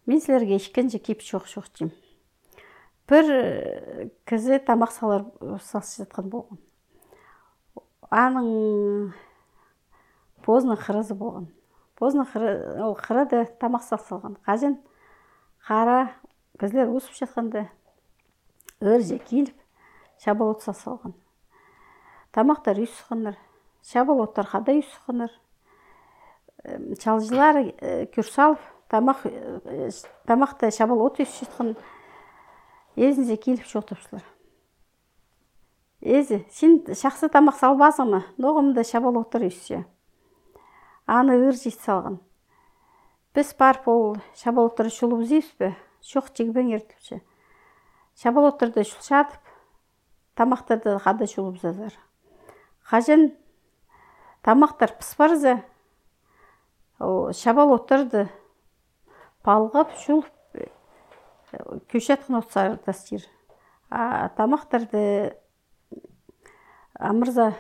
Мен силерге ишкенче кипчи окшотчумун. Бир кизи тамак салышып жаткан болгон. Анын поздно кырызы болгон. Поздно кырыды тамак салган. Кажын кара кизилер уусуп жатканда ыр же кийлип шаболот салган. Тамактар үй сыккандар, шаболоттор кадай үй сыккандар. Чалжылар күр салып, тамакта шаболот үйсүп жаткан. Эзинже кийлип чогултуптурлар. Эзи, сен шаксы тамак салбасыңбы? Ногумда шаболоттор үйсү. Аны ыр жийт салган. Биз барып ол шаболотторду чулуп ийбизби? Жок, жегбеңер депчи. Шаболотторду чулчатып, тамактарды кадай чулуп зазар. Кажын тамактар пыспарза, шаболотторду балгап, чулуп, күйшаткан отсар тастыр. Тамактарды амырза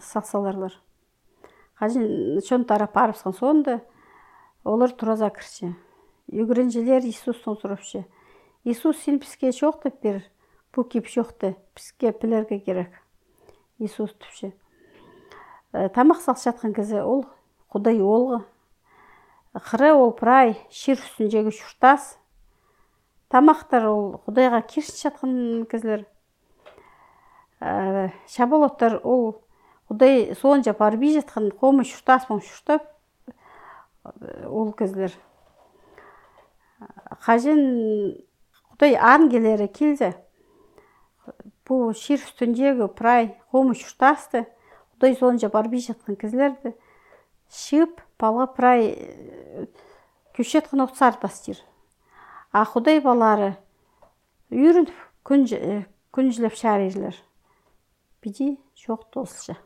салсаларлар. Кажын чон тарап барыпсан сонда олар тураза кирчи. Үйгүрөнчүлөр Иисустан сурапчы. Иисус, сен бизге жок деп бер, бу кип жокты, бизге пилерге керек. Иисус депчи. Тамак салышаткан кезде ол Кудай олго. Кыры ол прай, шир үстүн жегүч уштас. Тамактар ол Кудайга киришип жаткан кезлер. Шаболоттор ол Кудай соон жап барбай жаткан комуш уштас уштап ол кезлер. Кажын Кудай ангелери келсе, бу шир үстүн жегі прай комуш уштасты Кудай соон жап барбай жаткан кезлерди шып бала прай күйшаткан отсар тастыр. Кудай балары үйрүнүп күн жылап шаарыйлар. Биди жок толсуша.